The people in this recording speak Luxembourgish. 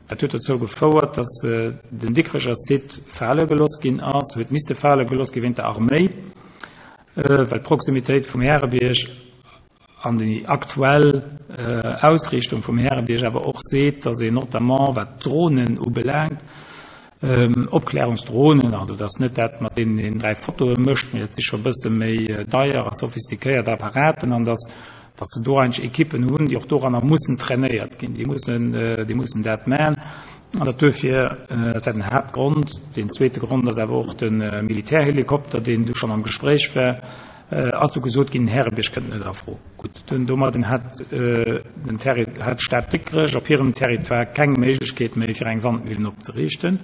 Dat huet dozou gefouert, dass den Dikrecher Site fale gelooss ginn ass, huet misste fale gelooss gi wéint der Arméi, well d'Proximitéit vum Härebierg an déi aktuell Ausriichtung vum Härebierg awer och seet, dass een notamment wat d'Dronen ubelaangt, Opklärungsdronen, also dat ass net dat, mat deenen een 3 Fotoe mécht, mee dat si scho e bësse méi deier a sophistiquéiert Apparaten, an dass dass se do eigentlech Ekippen hunn, déi och doranner mussen trainéiert ginn, déi mussen, déi mussen dat man. An dat duerfir, dat war den Haaptgrond. Deen zweete Grond ass awer och de Militärhelikopter, deen du schonn am Gespréich war, ass du gesot ginn, den Härebierg kënnt net a Fro. Gutt, dunn domadden hat den Terri, hat d'Stad Dikrech op hirem Territoire keng Méiglechkeet méi, fir eng Wandmillen opzeriichten.